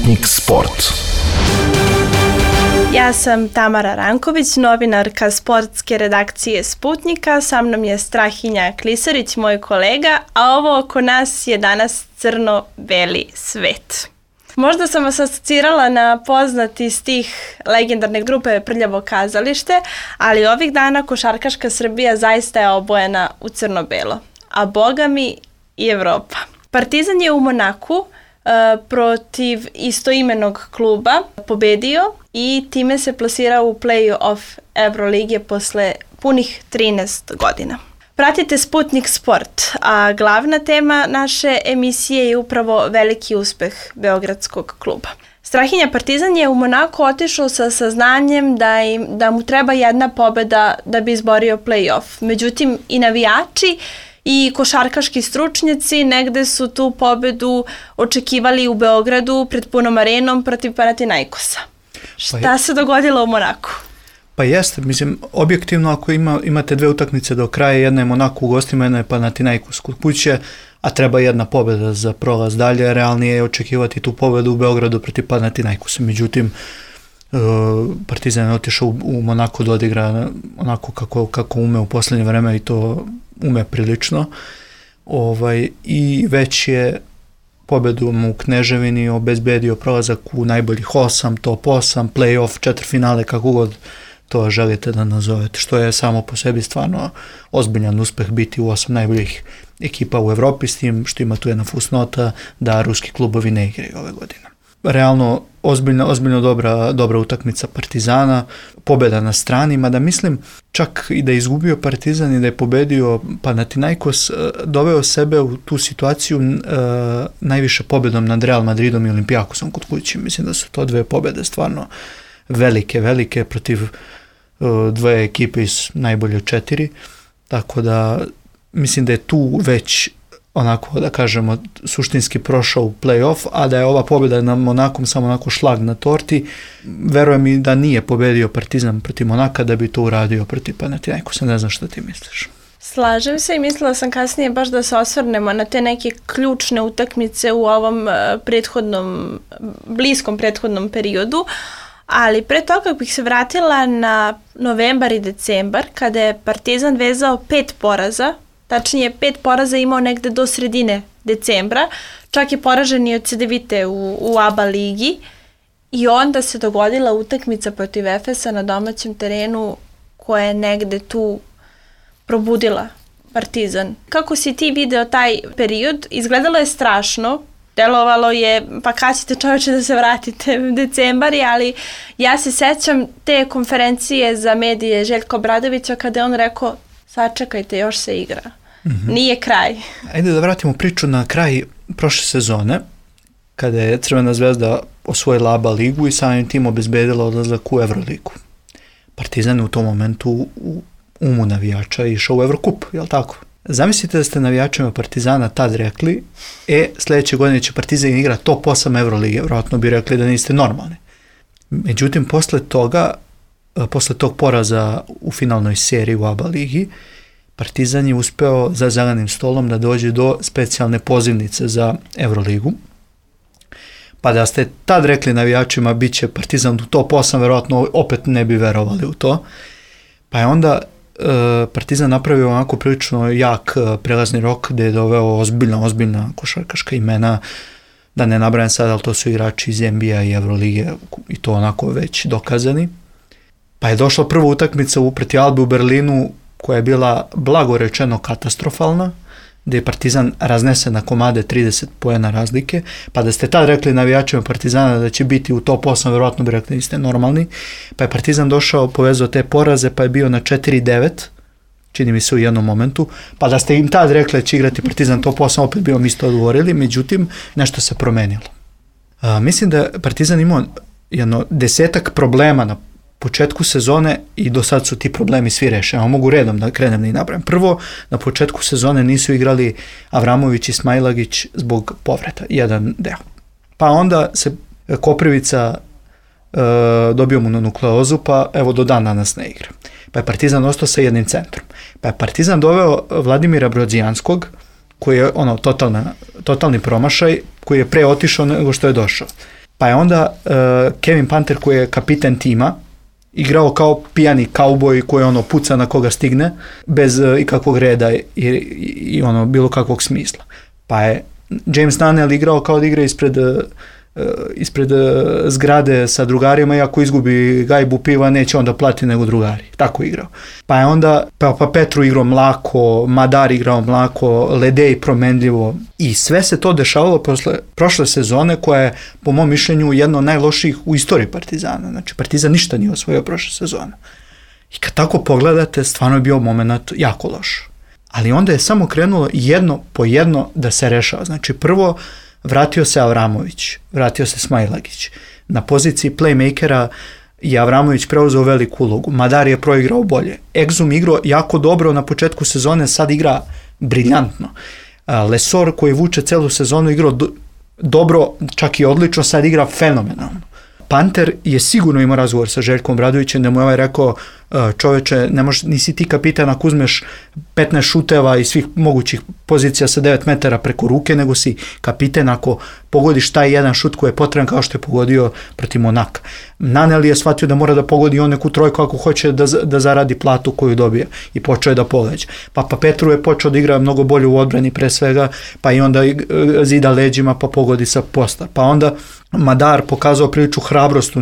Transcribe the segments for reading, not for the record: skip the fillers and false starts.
Sputnik Sport. Ja sam Tamara Ranković, novinarka sportske redakcije Sputnika. Sa mnom je Strahinja Klisarić, moj kolega, a ovo oko nas je danas crno-beli svet. Možda sam vas asocirala na poznati stih legendarne grupe Prljavo kazalište, ali ovih dana košarkaška Srbija zaista je obojena u crno-belo, a boga mi i Evropa. Partizan je u Monaku protiv istoimenog kluba pobedio i time se plasirao u play-off Evrolige posle punih 13 godina. Pratite Sputnik Sport, a glavna tema naše emisije je upravo veliki uspeh beogradskog kluba. Strahinja, Partizan je u Monaku otišao sa saznanjem da mu treba jedna pobeda da bi izborio play-off. Međutim, i navijači i košarkaški stručnjaci negde su tu pobedu očekivali u Beogradu pred punom arenom protiv Panathinaikosa. Šta se dogodilo u Monaku? Pa jeste, mislim, objektivno ako imate dve utakmice do kraja, jedna je Monaku u gostima, jedna je Panathinaikos kod kuće, a treba jedna pobeda za prolaz dalje, realnije je očekivati tu pobedu u Beogradu protiv Panathinaikosa. Međutim, Partizan je otišao u Monaku da odigra onako kako ume u posljednje vreme i to ume prilično. I već je pobedom u Kneževini obezbedio prolazak u najboljih 8, top 8, play-off, četvrtfinale, kako god to želite da nazovete, što je samo po sebi stvarno ozbiljan uspeh biti u 8 najboljih ekipa u Evropi, s tim što ima tu jedna fusnota da ruski klubovi ne igraju ove godine. Realno ozbiljno dobra utakmica Partizana, pobjeda na strani, mada mislim čak i da je izgubio Partizan i da je pobedio Panathinaikos, doveo sebe u tu situaciju najviše pobjedom nad Real Madridom i Olimpijakosom kod kuće. Mislim da su to dve pobjede stvarno velike protiv dve ekipe iz najbolje 4, tako da mislim da je tu već onako, da kažemo, suštinski prošao u play-off, a da je ova pobjeda na Monakom samo onako šlag na torti. Verujem i da nije pobedio Partizan protiv Monaka da bi to uradio protiv Panathinaikosa. Ne znam što ti misliš. Slažem se i mislila sam kasnije baš da se osvrnemo na te neke ključne utakmice u ovom bliskom prethodnom periodu, ali pre toga bih se vratila na novembar i decembar kada je Partizan vezao 5 poraza. Tačnije, 5 poraza imao negde do sredine decembra, čak je poražen i od Cedevite u ABA ligi i onda se dogodila utakmica protiv Efesa na domaćem terenu koja je negde tu probudila Partizan. Kako si ti video taj period? Izgledalo je strašno, delovalo je, pa kad ćete čoveče da se vratite u decembari, ali ja se sećam te konferencije za medije Željka Obradovića kada je on rekao sačekajte, još se igra. Nije kraj. Ajde da vratimo priču na kraj prošle sezone, kada je Crvena zvezda osvojila ABA ligu i samim tim obezbedila odlazak u Evroligu. Partizan je u tom momentu u umu navijača išao u Evrokup, jel tako? Zamislite da ste navijačima Partizana tad rekli, sljedeće godine će Partizan igra top 8 Evrolige, vjerojatno bi rekli da niste normalni. Međutim, posle tog poraza u finalnoj seriji u ABA ligi, Partizan je uspeo za zelenim stolom da dođe do specijalne pozivnice za Evroligu. Pa da ste tad rekli navijačima bit će Partizan u top 8, vjerojatno opet ne bi verovali u to. Pa je onda Partizan napravio onako prilično jak prelazni rok gdje je doveo ozbiljna košarkaška imena, da ne nabrajam sad, ali to su igrači iz NBA i Evrolige i to onako već dokazani. Pa je došla prva utakmica protiv Albe u Berlinu koja je bila blago rečeno katastrofalna, gdje je Partizan raznesen na komade 30 poena razlike, pa da ste tad rekli navijačima Partizana da će biti u top 8, vjerojatno bi rekli niste normalni, pa je Partizan došao, povezao te poraze, pa je bio na 4-9, čini mi se u jednom momentu, pa da ste im tad rekli da će igrati Partizan top 8, opet bi vam isto odgovorili, međutim nešto se promenilo. Mislim da Partizan imao 10 problema na početku sezone i do sad su ti problemi svi rešeni. Mogu redom da krenem da ih napravim. Prvo, na početku sezone nisu igrali Avramović i Smailagić zbog povreda, jedan deo. Pa onda se Koprivica dobio mu nukleozu, pa evo do dan danas ne igra. Pa je Partizan ostao sa jednim centrom. Pa je Partizan doveo Vladimira Brodzijanskog, koji je totalni promašaj, koji je pre otišao nego što je došao. Pa je onda Kevin Panter, koji je kapiten tima, igrao kao pijani kauboj koji puca na koga stigne, bez ikakvog reda i bilo kakvog smisla. Pa je James Nunnell igrao kao da igra ispred zgrade sa drugarima i ako izgubi gajbu piva neće onda plati nego drugari. Tako igrao. Pa je onda pa Petru igrao mlako, Madar igrao mlako, Ledej promenljivo i sve se to dešavalo posle prošle sezone koja je po mom mišljenju jedna od najlošijih u istoriji Partizana. Znači Partizan ništa nije osvojio prošle sezone. I kad tako pogledate, stvarno je bio moment jako loš. Ali onda je samo krenulo jedno po jedno da se rešava. Znači prvo vratio se Avramović, vratio se Smailagić. Na poziciji playmakera je Avramović preuzeo veliku ulogu. Madar je proigrao bolje. Exum igrao jako dobro na početku sezone, sad igra briljantno. Lesor koji vuče celu sezonu igrao dobro, čak i odlično, sad igra fenomenalno. Panter je sigurno imao razgovor sa Željkom Obradovićem da mu je rekao čoveče, nisi ti kapitan ako uzmeš 15 šuteva i svih mogućih pozicija sa 9 metara preko ruke, nego si kapitan ako pogodiš taj jedan šut koji je potreban kao što je pogodio protiv Monaka. Nunnell je shvatio da mora da pogodi on neku trojku ako hoće da zaradi platu koju dobija i počeo je da pogađa. Pa Petru je počeo da igra mnogo bolje u odbrani pre svega, pa i onda zida leđima pa pogodi sa posta. Pa onda Madar pokazao priliču hrabrost u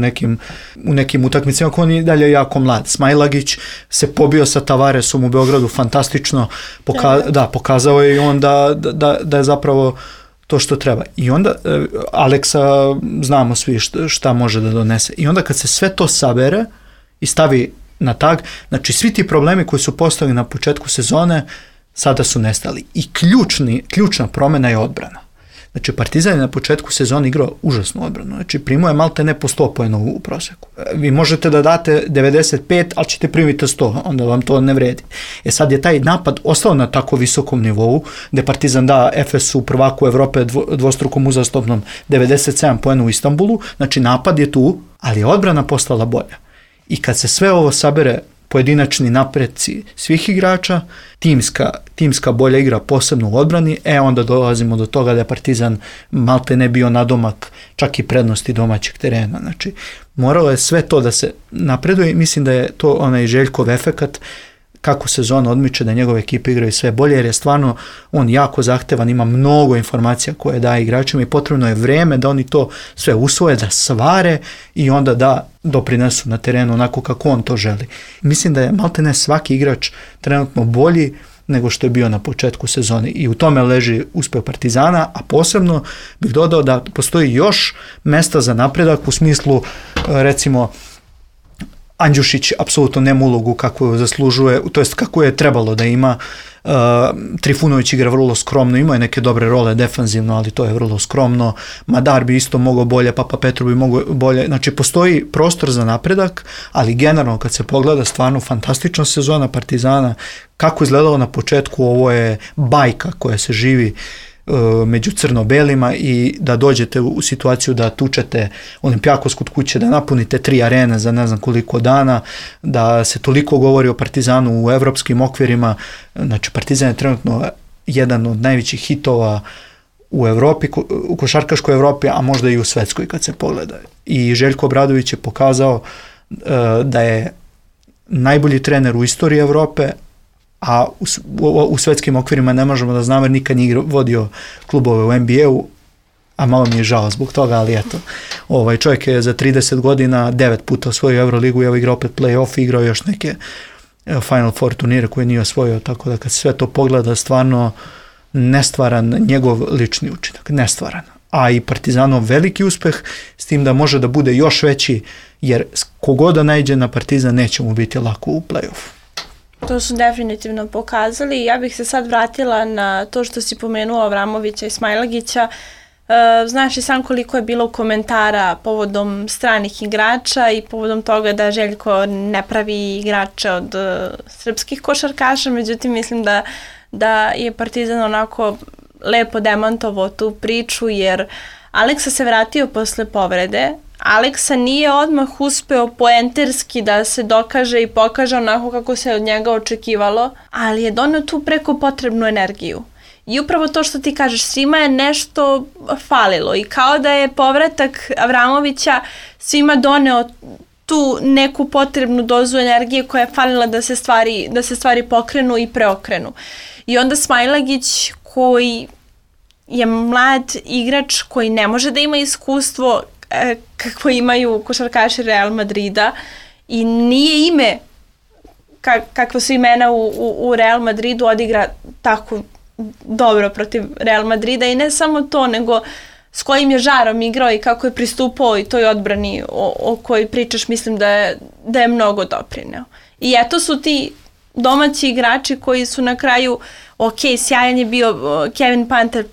nekim utakmicama, koji on je dalje jako mlad. Smailagić se pobio sa Tavaresom u Beogradu fantastično, pokazao je i on da je zapravo to što treba. I onda Aleksa znamo svi šta može da donese. I onda kad se sve to sabere i stavi na tag, znači svi ti problemi koji su postali na početku sezone sada su nestali. I ključna promena je odbrana. Znači Partizan je na početku sezone igrao užasnu odbranu. Znači primao je malte ne po 100 poena u proseku. Vi možete da date 95, ali ćete primiti 100, onda vam to ne vredi. Sad je taj napad ostao na tako visokom nivou, gde Partizan da Efesu, prvaku Evrope, dvostrukom uzastopnom 97 poena u Istanbulu. Znači napad je tu, ali je odbrana postala bolja. I kad se sve ovo sabere, pojedinačni napreci svih igrača, timska bolja igra posebno u odbrani, onda dolazimo do toga da je Partizan malte ne bio nadomak čak i prednosti domaćeg terena. Znači, moralo je sve to da se napreduje i mislim da je to onaj Željkov efekat kako sezona odmiče, da njegove ekipe igraju sve bolje, jer je stvarno on jako zahtevan, ima mnogo informacija koje daje igračima i potrebno je vreme da oni to sve usvoje, da svare i onda da doprinesu na terenu onako kako on to želi. Mislim da je maltene svaki igrač trenutno bolji nego što je bio na početku sezone i u tome leži uspeh Partizana, a posebno bih dodao da postoji još mesta za napredak u smislu, recimo, Andjušić apsolutno nema ulogu kakvu zaslužuje, to jest kako je trebalo da ima. Trifunović igra vrlo skromno, ima je neke dobre role defanzivno, ali to je vrlo skromno. Madar bi isto mogao bolje, Papa Petru bi mogao bolje. Znači postoji prostor za napredak, ali generalno kad se pogleda stvarno fantastična sezona Partizana, kako izgledalo na početku, ovo je bajka koja se živi među crno-belima i da dođete u situaciju da tučete Olimpijakos kod kuće, da napunite 3 arene za ne znam koliko dana, da se toliko govori o Partizanu u evropskim okvirima. Znači Partizan je trenutno jedan od najvećih hitova u Evropi, u košarkaškoj Evropi, a možda i u svetskoj kad se pogleda. I Željko Obradović je pokazao da je najbolji trener u istoriji Evrope, a u svetskim okvirima ne možemo da znamo jer nikad nije vodio klubove u NBA-u, a malo mi je žao zbog toga, ali eto. Čovjek je za 30 godina 9 puta osvojio Euroligu i igrao opet play-off, igrao još neke Final Four turnire koje nije osvojio, tako da kad sve to pogleda, stvarno nestvaran njegov lični učinak, nestvaran. A i Partizanov veliki uspeh, s tim da može da bude još veći, jer kogoda najde na Partizan neće mu biti lako u play-offu. To su definitivno pokazali. Ja bih se sad vratila na to što si pomenuo Avramovića i Smailagića. Znaš i sam koliko je bilo komentara povodom stranih igrača i povodom toga da Željko ne pravi igrače od srpskih košarkaša, međutim mislim da je Partizan onako lepo demantovao tu priču, jer Aleksa se vratio posle povrede, Aleksa nije odmah uspeo poenterski da se dokaže i pokaže onako kako se od njega očekivalo, ali je doneo tu preko potrebnu energiju. I upravo to što ti kažeš, svima je nešto falilo i kao da je povratak Avramovića svima doneo tu neku potrebnu dozu energije koja je falila da se stvari pokrenu i preokrenu. I onda Smailagić, koji je mlad igrač koji ne može da ima iskustvo kako imaju košarkaši Real Madrida i nije ime kakva su imena u Real Madridu, odigra tako dobro protiv Real Madrida i ne samo to, nego s kojim je žarom igrao i kako je pristupao i toj odbrani o kojoj pričaš, mislim da je mnogo doprineo. I eto su ti domaći igrači koji su na kraju, sjajan je bio Kevin Panter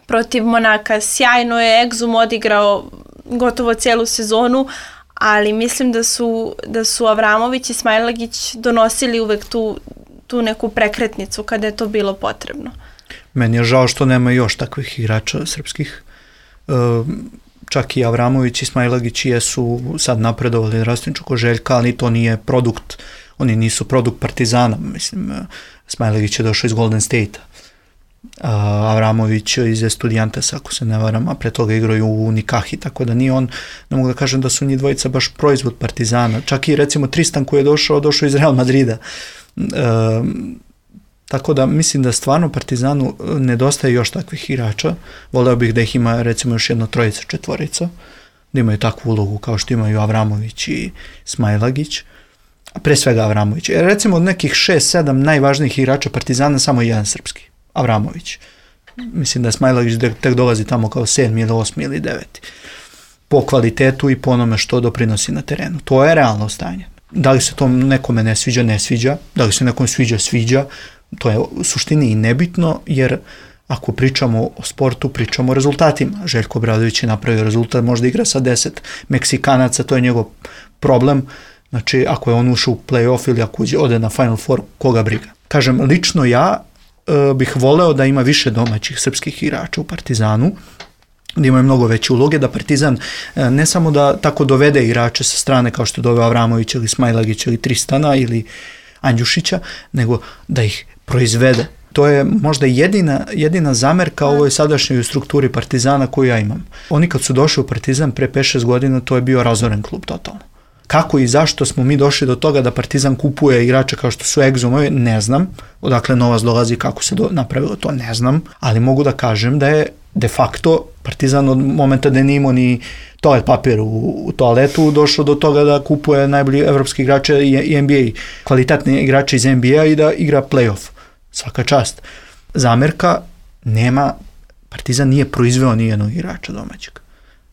protiv Monaka, sjajno je Exum odigrao gotovo cijelu sezonu, ali mislim da su Avramović i Smailagić donosili uvek tu neku prekretnicu kada je to bilo potrebno. Meni je žao što nema još takvih igrača srpskih. Čak i Avramović i Smailagić jesu sad napredovali Rastinčuko Željka, ali to nije produkt, oni nisu produkt Partizana. Mislim, Smailagić je došao iz Golden State-a. Avramović iz Estudiantesa, ako se ne varam, a pre toga igraju u Nikahi, tako da nije on, ne mogu da kažem da su njih dvojica baš proizvod Partizana. Čak i recimo Tristan koji je došao iz Real Madrida. Tako da mislim da stvarno Partizanu nedostaje još takvih igrača. Voleo bih da ih ima recimo još jedno trojica, četvorica, da imaju takvu ulogu kao što imaju Avramović i Smailagić. Pre svega Avramović. Recimo od nekih 6-7 najvažnijih igrača Partizana samo jedan srpski. Avramović. Mislim da je Smailagić tek dolazi tamo kao 7. ili 8. ili 9. Po kvalitetu i po onome što doprinosi na terenu. To je realno stanje. Da li se to nekome ne sviđa, da li se nekom sviđa, to je u suštini i nebitno, jer ako pričamo o sportu, pričamo o rezultatima. Željko Obradović je napravio rezultat, možda igra sa 10 Meksikanaca, to je njegov problem. Znači, ako je on ušao u play-off ili ako ode na Final Four, koga briga. Kažem, lično ja bih voleo da ima više domaćih srpskih igrača u Partizanu, da imaju mnogo veće uloge, da Partizan ne samo da tako dovede igrače sa strane kao što je doveo Avramović ili Smailagić ili Tristana ili Andjušića, nego da ih proizvede. To je možda jedina zamerka ovoj sadašnjoj strukturi Partizana koju ja imam. Oni kad su došli u Partizan pre 5-6 godina, to je bio razoren klub totalno. Kako i zašto smo mi došli do toga da Partizan kupuje igrače kao što su Exumovi, ne znam. Odakle novac dolazi, kako se napravilo to, ne znam. Ali mogu da kažem da je de facto Partizan od momenta da nije imao ni toalet papir u toaletu došao do toga da kupuje najbolji evropski igrače i NBA, kvalitetne igrače iz NBA i da igra play-off. Svaka čast. Zamerka nema, Partizan nije proizveo ni jednog igrača domaćeg.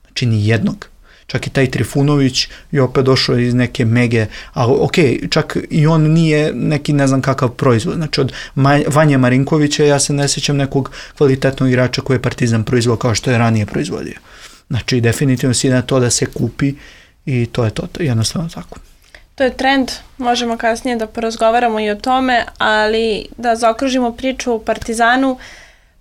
Znači ni jednog. Čak i taj Trifunović je opet došao iz neke mege, ali čak i on nije neki ne znam kakav proizvod. Znači od Vanje Marinkovića ja se ne sjećam nekog kvalitetnog igrača koji je Partizan proizveo kao što je ranije proizvodio. Znači definitivno si na to da se kupi i to je to, jednostavno tako. To je trend, možemo kasnije da porazgovaramo i o tome, ali da zaokružimo priču o Partizanu.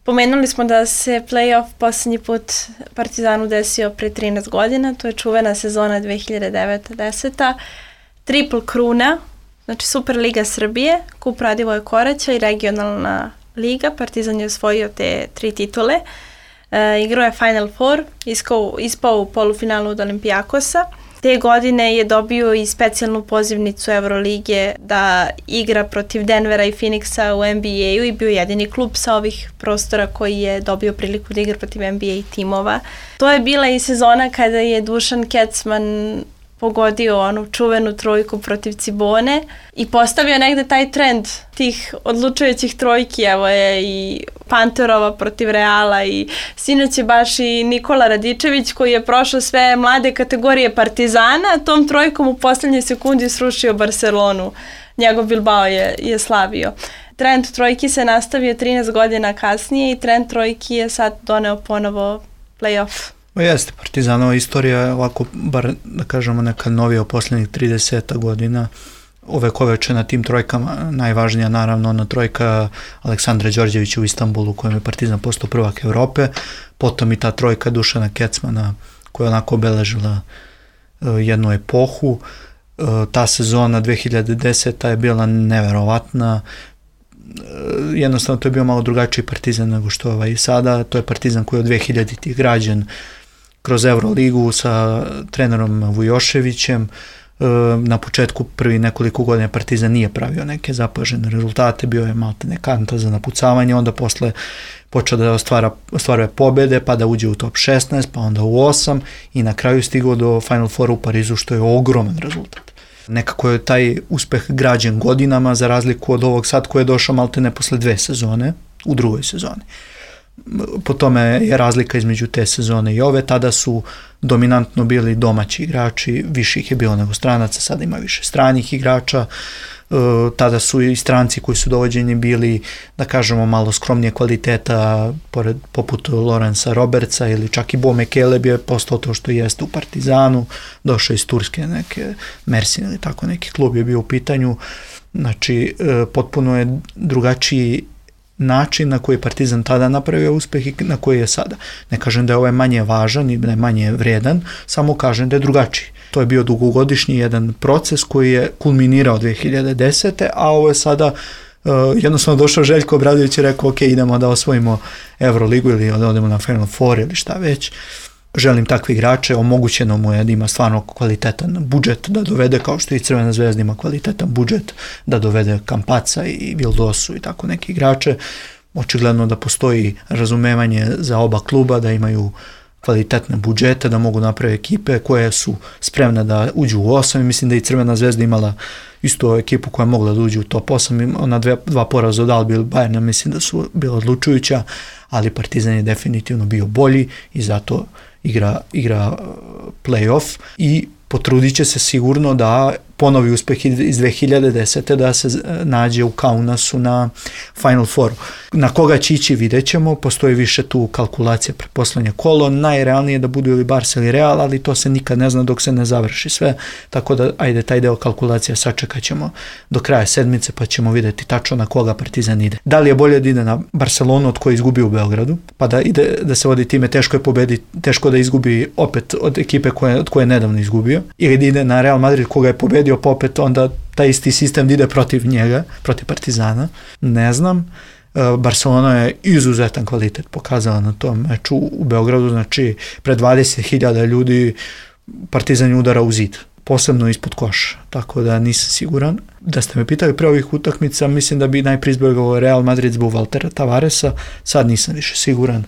Pomenuli smo da se play-off posljednji put Partizanu desio pre 13 godina, to je čuvena sezona 2009-10. Triple kruna, znači Superliga Srbije, Kup Radivoja Koraća i regionalna liga. Partizan je osvojio te 3 titule. Igrao je Final Four, ispao u polufinalu od Olimpijakosa. Te godine je dobio i specijalnu pozivnicu Eurolige da igra protiv Denvera i Phoenixa u NBA-u i bio jedini klub sa ovih prostora koji je dobio priliku da igra protiv NBA timova. To je bila i sezona kada je Dušan Kecman pogodio onu čuvenu trojku protiv Cibone i postavio negde taj trend tih odlučujućih trojki. Evo je i Panterova protiv Reala i sinoć je baš i Nikola Radičević koji je prošao sve mlade kategorije Partizana, tom trojkom u posljednjoj sekundi srušio Barcelonu. Njegov Bilbao je slavio. Trend trojki se nastavio 13 godina kasnije i trend trojki je sad doneo ponovo play-off. Jeste, Partizanova istorija je ovako, bar da kažemo neka novija u posljednjih 30 godina, ovekoveče na tim trojkama, najvažnija naravno ona trojka Aleksandra Đorđevića u Istanbulu kojom je Partizan postao prvak Evrope, potom i ta trojka Dušana Kecmana koja je onako obeležila jednu epohu. Ta sezona 2010. je bila neverovatna. Jednostavno to je bio malo drugačiji Partizan nego što je i sada. To je Partizan koji je od 2000-ih građen kroz Euroligu sa trenerom Vujoševićem. Na početku prvi nekoliko godina Partizan nije pravio neke zapažene rezultate, bio je maltene kanta za napucavanje, onda posle počeo da ostvaruje pobede, pa da uđe u top 16, pa onda u 8 i na kraju stigao do Final Foura u Parizu, što je ogroman rezultat. Nekako je taj uspeh građen godinama, za razliku od ovog sad koji je došao maltene posle 2 sezone, u drugoj sezoni. Po tome je razlika između te sezone i ove, tada su dominantno bili domaći igrači, više ih je bilo nego stranaca, sada ima više stranih igrača, tada su i stranci koji su dovođeni bili, da kažemo, malo skromnije kvaliteta, poput Lorenza Robertsa ili čak i Bo Mekeleb je postao to što jeste u Partizanu, došao iz Turske, neke Mersin ili tako neki klub je bio u pitanju, znači potpuno je drugačiji način na koji je Partizan tada napravio uspeh i na koji je sada. Ne kažem da je ovaj manje važan i da je manje vredan, samo kažem da je drugačiji. To je bio dugogodišnji jedan proces koji je kulminirao 2010. a ovo je sada jednostavno došao Željko Obradović i rekao ok, idemo da osvojimo Euroligu ili da odemo na Final Four ili šta već. Želim takve igrače, omogućeno mu je da ima stvarno kvalitetan budžet da dovede, kao što i Crvena zvezda ima kvalitetan budžet da dovede Kampaca i Vildosu i tako neki igrače. Očigledno da postoji razumevanje za oba kluba, da imaju kvalitetne budžete, da mogu napraviti ekipe koje su spremne da uđu u 8 i mislim da i Crvena zvezda imala isto ekipu koja je mogla da uđe u top 8, ona dva poraza od Albi ili Bayerna mislim da su bila odlučujuća, ali Partizan je definitivno bio bolji i zato igra play-off i potrudit će se sigurno da ponovi uspeh iz 2010. da se nađe u Kaunasu na Final Fouru. Na koga će ići vidjet ćemo, postoji više tu kalkulacija pred poslednje kolo, najrealnije da budu ili Barca ili Real, ali to se nikad ne zna dok se ne završi sve, tako da ajde taj deo kalkulacija sačekat ćemo do kraja sedmice pa ćemo vidjeti tačno na koga Partizan ide. Da li je bolje da ide na Barcelonu od koje izgubi u Beogradu, pa da ide da se vodi time, teško da izgubi opet od ekipe od koje je nedavno izgubio, ili da ide na Real Madrid koga je pobedio, pa opet onda taj isti sistem da ide protiv njega, protiv Partizana, ne znam. Barcelona je izuzetan kvalitet pokazala na tom meču u Beogradu, znači pred 20.000 ljudi Partizan je udara u zid, posebno ispod koša, tako da nisam siguran. Da ste me pitali pre ovih utakmica, mislim da bi najprije izbjegao Real Madrid zbog Valtera Tavaresa, sad nisam više siguran.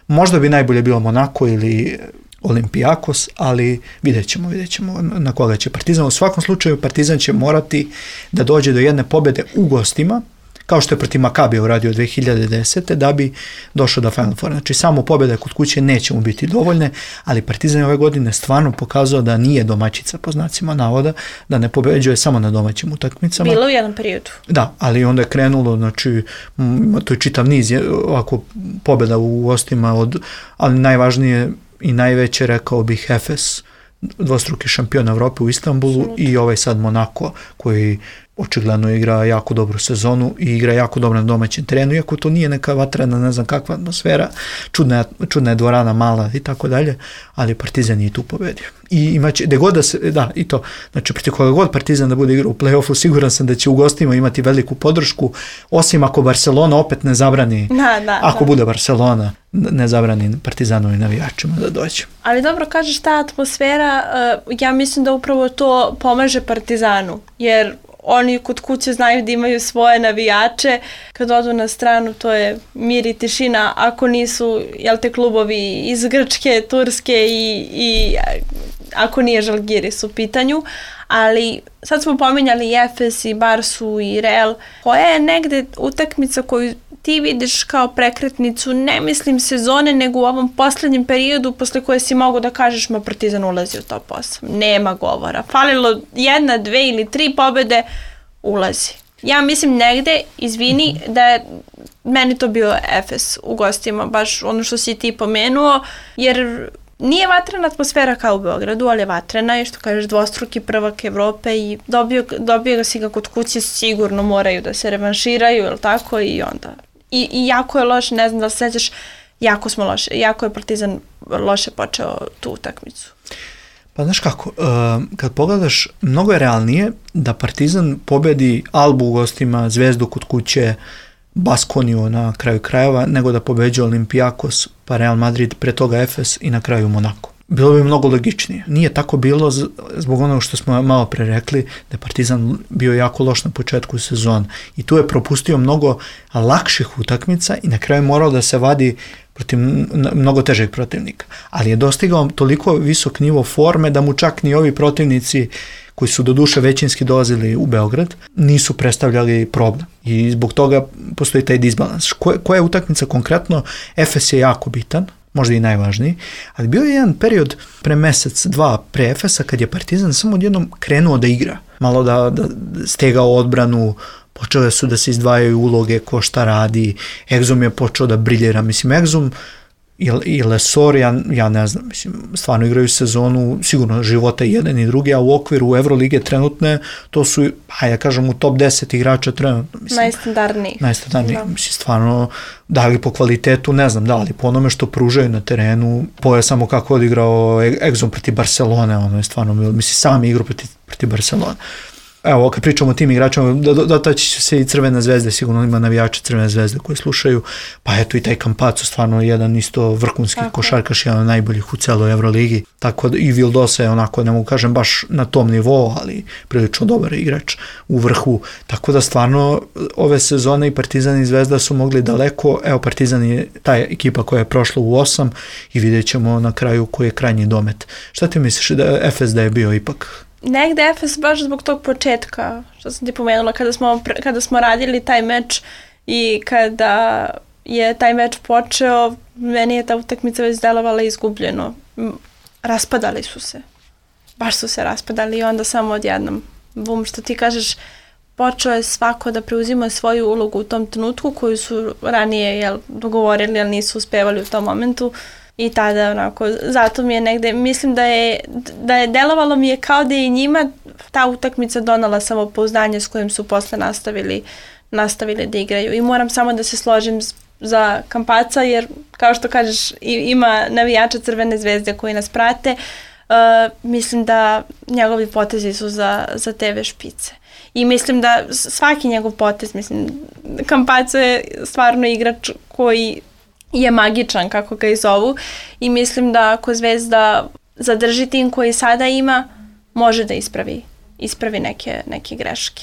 Možda bi najbolje bilo Monako ili Olympiakos, ali vidjet ćemo na koga će Partizan. U svakom slučaju Partizan će morati da dođe do jedne pobjede u gostima, kao što je protiv Makabija uradio 2010. da bi došao do Final Four. Znači samo pobjede kod kuće neće mu biti dovoljne, ali Partizan je ove godine stvarno pokazao da nije domaćica po znacima navoda, da ne pobeđuje samo na domaćim utakmicama. Bilo u jednom periodu. Da, ali onda je krenulo, znači to je čitav niz ovako pobjeda u gostima, ali najvažnije i najveće, rekao bih, Efes, dvostruki šampion Evrope u Istanbulu i ovaj sad Monako koji očigledno igra jako dobru sezonu i igra jako dobro na domaćem terenu, iako to nije neka vatrena, ne znam kakva atmosfera, čudna je dvorana mala i tako dalje, ali Partizan je tu pobedio. I imaće, i to, znači protiv koga god Partizan da bude igrao u play-offu, siguran sam da će u gostima imati veliku podršku, osim ako Barcelona opet ne zabrani, bude Barcelona, ne zabrani Partizanovim navijačima da dođe. Ali dobro, kažeš ta atmosfera, ja mislim da upravo to pomaže Partizanu, jer oni kod kuće znaju da imaju svoje navijače, kad odu na stranu to je mir i tišina, ako nisu klubovi iz Grčke, Turske i ako nije Žalgiris u pitanju, ali sad smo pominjali i Efes i Barsu i Real, koja je negde utakmica koju ti vidiš kao prekretnicu, ne mislim sezone, nego u ovom posljednjem periodu posle koje si mogu da kažeš Partizan ulazi u top 8. Nema govora. Falilo 1, 2 ili 3 pobjede, ulazi. Ja mislim negde, izvini, da je meni to bio Efes u gostima, baš ono što si ti pomenuo, jer nije vatrena atmosfera kao u Beogradu, ali je vatrena i što kažeš dvostruki prvak Evrope i dobio ga si ga kod kuće, sigurno moraju da se revanširaju, ili tako, i onda. I jako je loš, ne znam da se sećaš, jako je Partizan loše počeo tu utakmicu. Pa znaš kako, kad pogledaš, mnogo je realnije da Partizan pobedi Albu u gostima, Zvezdu kod kuće, Baskoniju na kraju krajeva, nego da pobeđuje Olympiakos, pa Real Madrid, pre toga Efes i na kraju Monako. Bilo bi mnogo logičnije. Nije tako bilo zbog onog što smo malo pre rekli, da je Partizan bio jako loš na početku sezona. I tu je propustio mnogo lakših utakmica i na kraju morao da se vadi protiv mnogo težeg protivnika. Ali je dostigao toliko visok nivo forme da mu čak ni ovi protivnici koji su doduše većinski dolazili u Beograd, nisu predstavljali problem. I zbog toga postoji taj disbalans. Koja je utakmica konkretno? Efes je jako bitan, možda i najvažniji, ali bio je jedan period pre mesec, dva pre Efesa kad je Partizan samo odjednom krenuo da igra. Malo da stegao odbranu, počele su da se izdvajaju uloge ko šta radi, Exum je počeo da briljera. Mislim, Exum i Lesor, ja ne znam, mislim, stvarno igraju sezonu, sigurno života jedan i drugi, a u okviru Evrolige trenutne, to su, ja kažem, u top 10 igrača trenutno. Mislim, najstandardniji. Mislim, stvarno, da li po kvalitetu, ne znam, da li po onome što pružaju na terenu, poje samo kako odigrao Exum protiv Barcelone, ono je stvarno, mislim, sami igru protiv Barcelone. Evo, kad pričamo o tim igračima, dotaći će se i Crvene zvezde, sigurno ima navijače Crvene zvezde koji slušaju, pa eto i taj Campazzo, stvarno jedan isto vrhunski košarkaš, jedan od najboljih u celoj Evroligi, tako da i Vildosa je onako, ne mogu kažem baš na tom nivou, ali prilično dobar igrač u vrhu, tako da stvarno ove sezone i Partizan i Zvezda su mogli daleko, evo Partizan je ta ekipa koja je prošla u 8 i vidjet ćemo na kraju koji je krajnji domet. Šta ti misliš da Efes da je bio ipak? Negde Efes baš zbog tog početka, što sam ti pomenula, kada smo radili taj meč i kada je taj meč počeo, meni je ta utakmica već delovala izgubljeno. Raspadali su se. Baš su se raspadali i onda samo odjednom. Bum, što ti kažeš, počeo je svako da preuzima svoju ulogu u tom trenutku koju su ranije dogovorili, ali nisu uspevali u tom momentu. I tada, onako, zato mi je negde, mislim da je delovalo mi je kao da je i njima ta utakmica donala samopouzdanje s kojim su posle nastavili da igraju. I moram samo da se složim za Campazza, jer kao što kažeš, ima navijača Crvene zvezde koji nas prate, mislim da njegovi potezi su za TV špice. I mislim da svaki njegov potez, mislim, Campazzo je stvarno igrač koji je magičan, kako ga i zovu, i mislim da ako Zvezda zadrži tim koji sada ima, može da ispravi neke greške.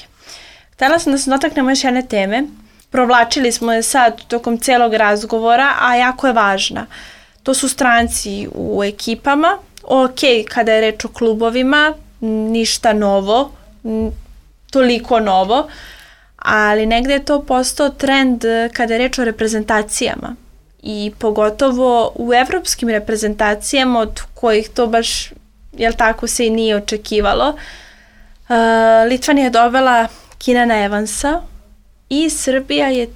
Htjela sam da se dotaknemo još jedne teme. Provlačili smo je sad tokom celog razgovora, a jako je važna. To su stranci u ekipama. Ok, kada je reč o klubovima, ništa novo, toliko novo, ali negde je to postao trend kada je reč o reprezentacijama. I pogotovo u evropskim reprezentacijama od kojih to baš, jel tako, se i nije očekivalo. Litvanija je dovela Keenana Evansa i Srbija je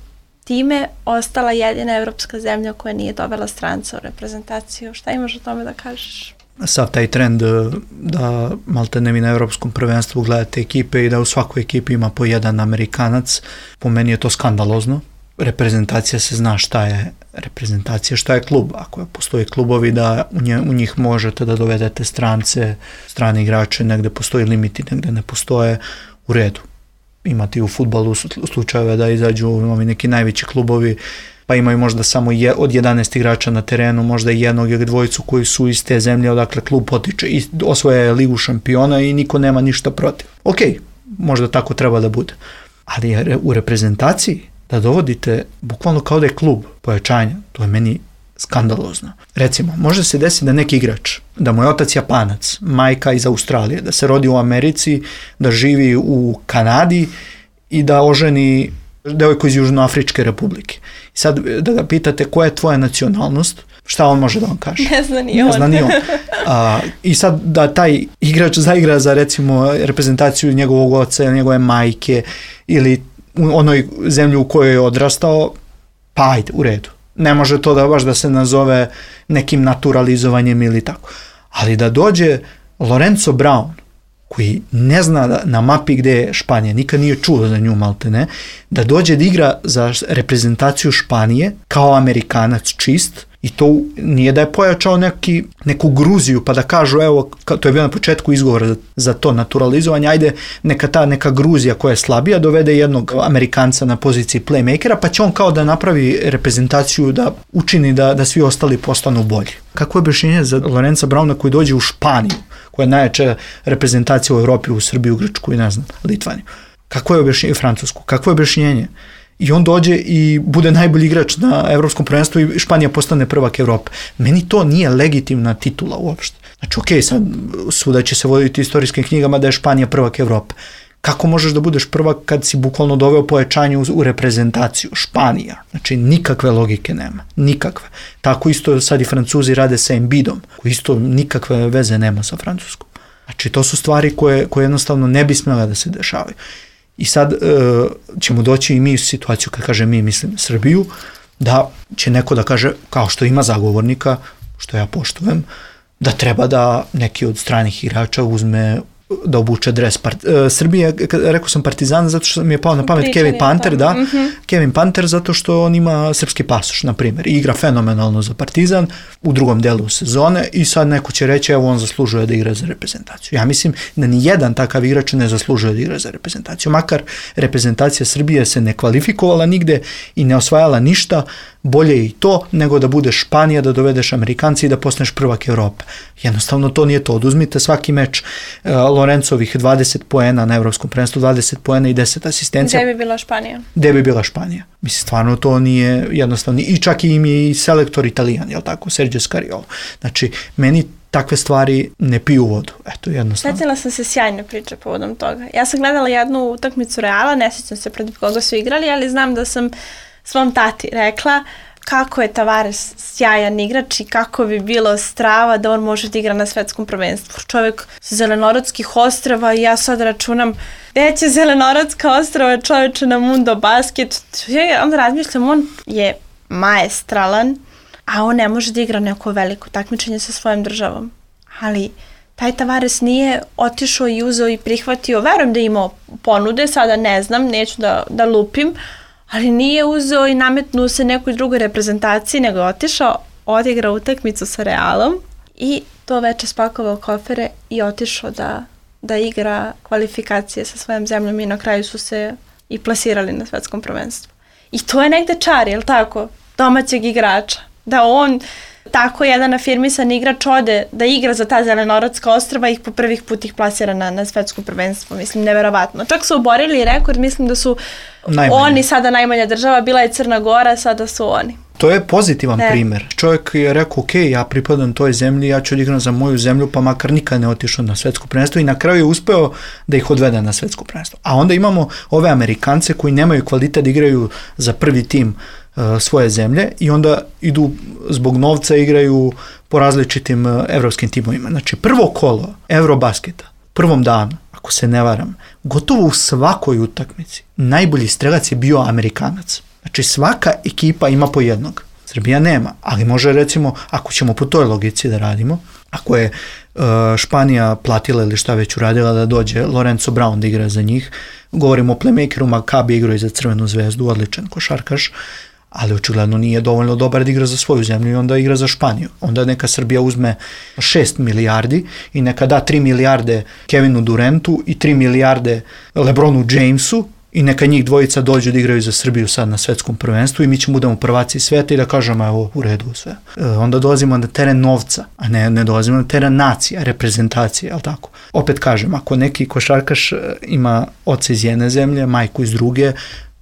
time ostala jedina evropska zemlja koja nije dovela stranca u reprezentaciju. Šta imaš o tome da kažeš? Sav taj trend da maltene vi na evropskom prvenstvu gledate ekipe i da u svakoj ekipi ima po jedan Amerikanac, po meni je to skandalozno. Reprezentacija se zna šta je reprezentacija, šta je klub. Ako postoje klubovi da u njih možete da dovedete strance, strane igrače, negde postoji limiti, negde ne postoje, u redu. Imate i u fudbalu slučajeve da izađu ovi neki najveći klubovi, pa imaju možda samo od 11 igrača na terenu, možda jednog ili dvojicu koji su iz te zemlje odakle klub potiče i osvoje ligu šampiona i niko nema ništa protiv. Ok, možda tako treba da bude. Ali u reprezentaciji da dovodite bukvalno kao da je klub pojačanja, to je meni skandalozno. Recimo, može se desiti da neki igrač, da mu je otac Japanac, majka iz Australije, da se rodi u Americi, da živi u Kanadi i da oženi devojku iz Južnoafričke republike. I sad da ga pitate koja je tvoja nacionalnost, šta on može da vam kaže? Ne zna ni on. I sad da taj igrač zaigra za recimo reprezentaciju njegovog oca ili njegove majke ili u onoj zemlji u kojoj je odrastao, pa ajde, u redu. Ne može to da baš da se nazove nekim naturalizovanjem ili tako. Ali da dođe Lorenzo Brown, koji ne zna na mapi gde je Španija, nikad nije čuo za nju maltene, da dođe da igra za reprezentaciju Španije kao Amerikanac čist I to nije da je pojačao neku Gruziju pa da kažu, evo, to je bio na početku izgovor za to naturalizovanje, ajde neka Gruzija koja je slabija dovede jednog Amerikanca na poziciji playmakera, pa će on kao da napravi reprezentaciju, da učini da svi ostali postanu bolji. Kako je objašnjenje za Lorenza Brauna koji dođe u Španiju, koja je najjača reprezentacija u Evropi, u Srbiju, Grčku i ne znam, Litvaniju? Kako je objašnjenje, Francusku? Kako je objašnjenje? I on dođe i bude najbolji igrač na evropskom prvenstvu i Španija postane prvak Evrope. Meni to nije legitimna titula uopšte. Znači, okej, sad svuda će se voditi istorijskim knjigama da je Španija prvak Evrope. Kako možeš da budeš prvak kad si bukvalno doveo pojačanje u reprezentaciju? Španija. Znači, nikakve logike nema. Nikakve. Tako isto sad i Francuzi rade sa Embiidom, koji isto nikakve veze nema sa Francuskom. Znači, to su stvari koje jednostavno ne bi smjela da se dešavaju. I sad ćemo doći i mi u situaciju, kad kažem mi, mislim Srbiju, da će neko da kaže, kao što ima zagovornika, što ja poštujem, da treba da neki od stranih igrača uzme da obuče dres. Srbija, rekao sam Partizan, zato što mi je pao na pamet Kevin Panter, da. Kevin Panter zato što on ima srpski pasoš, na primjer, i igra fenomenalno za Partizan u drugom delu sezone i sad neko će reći, evo on zaslužuje da igra za reprezentaciju. Ja mislim da ni jedan takav igrač ne zaslužuje da igra za reprezentaciju. Makar reprezentacija Srbije se ne kvalifikovala nigde i ne osvajala ništa, bolje i to nego da budeš Španija, da dovedeš Amerikanci i da postaneš prvak Evrope. Jednostavno to nije to. Oduzmite svaki meč Lorencovih 20 poena na evropskom prvenstvu, 20 poena i 10 asistencija. Gde bi bila Španija? Gde bi bila Španija? Mislim, stvarno to nije jednostavno. I čak i im je i selektor Italijan, jel tako? Sergio Scariolo. Znači, meni takve stvari ne piju vodu. Eto, jednostavno. Sjetila sam se sjajne priče povodom toga. Ja sam gledala jednu utakmicu Reala, ne sjećam se protiv koga su igrali, ali znam da sam svom tati rekla kako je Tavares sjajan igrač i kako bi bilo strava da on može da igra na svetskom prvenstvu. Čovjek sa Zelenorodskih ostrava i ja sad računam veće Zelenorodska ostrava čovječe na Mundo Basket. Ja onda razmišljam, on je maestralan, a on ne može da igra neko veliko takmičenje sa svojom državom. Ali taj Tavares nije otišao i uzeo i prihvatio, verujem da je imao ponude, sada ne znam, neću da lupim, ali nije uzeo i nametnuo se nekoj drugoj reprezentaciji, nego je otišao, odigrao utakmicu sa Realom i to veče spakovao kofere i otišao da igra kvalifikacije sa svojom zemljom i na kraju su se i plasirali na svetskom prvenstvu. I to je negde čar, jel tako, domaćeg igrača, da on tako jedan afirmisan igrač ode da igra za ta Zelenorodska ostrava i po prvih put ih plasira na svetskom prvenstvu. Mislim, neverovatno. Čak su oborili rekord, mislim da su oni sada najmanja država, bila je Crna Gora, sada su oni. To je pozitivan primjer. Čovjek je rekao, ok, ja pripadam toj zemlji, ja ću da igram za moju zemlju, pa makar nikad ne otišao na svetsko prvenstvo i na kraju je uspeo da ih odvede na svetsko prvenstvo. A onda imamo ove Amerikance koji nemaju kvalitet da igraju za prvi tim svoje zemlje i onda idu zbog novca igraju po različitim evropskim timovima. Znači prvo kolo Eurobasketa, prvom danu, ako se ne varam, gotovo u svakoj utakmici najbolji strelac je bio Amerikanac. Znači svaka ekipa ima po jednog. Srbija nema, ali može recimo, ako ćemo po toj logici da radimo, ako je Španija platila ili šta već uradila da dođe Lorenzo Brown da igra za njih, govorimo o playmakeru, Maccabi igrao i za Crvenu zvezdu, odličan košarkaš, ali očigledno nije dovoljno dobar da igra za svoju zemlju i onda igra za Španiju. Onda neka Srbija uzme 6 milijardi i neka da 3 milijarde Kevinu Durantu i 3 milijarde LeBronu Jamesu i neka njih dvojica dođu da igraju za Srbiju sad na svetskom prvenstvu i mi ćemo budemo prvaci sveta i da kažemo evo u redu sve. Onda dolazimo na teren novca, a ne dolazimo na teren nacija, reprezentacije, jel tako? Opet kažem, ako neki košarkaš ima oca iz jedne zemlje, majku iz druge,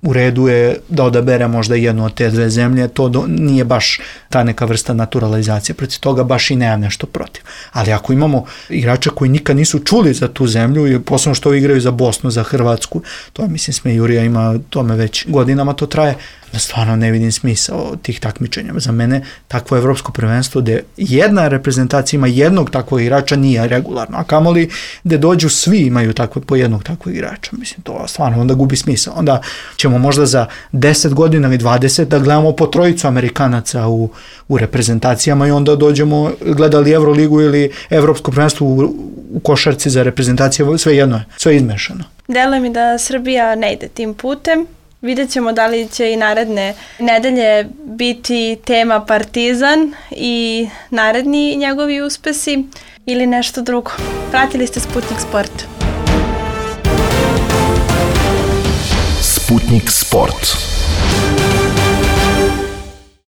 u redu je da odabere možda jednu od te dve zemlje, to nije baš ta neka vrsta naturalizacije, protiv toga baš i nemam nešto protiv. Ali ako imamo igrača koji nikad nisu čuli za tu zemlju i posebno što igraju za Bosnu, za Hrvatsku, to mislim Smejurija ima tome već godinama to traje, da stvarno ne vidim smisao tih takmičenja. Za mene takvo evropsko prvenstvo gde jedna reprezentacija ima jednog takvog igrača nije regularno, a kamoli gde dođu svi imaju po jednog takvog igrača. Mislim, to stvarno onda gubi smisao. Onda ćemo možda za 10 godina ili 20 da gledamo po trojicu Amerikanaca u reprezentacijama i onda dođemo gledali Euroligu ili evropsko prvenstvo u košarci za reprezentacije, sve jedno je, sve izmešano. Deluje mi da Srbija ne ide tim putem. Vidjet ćemo da li će i naredne nedelje biti tema Partizan i naredni njegovi uspesi ili nešto drugo. Pratili ste Sputnik Sport. Sputnik Sport.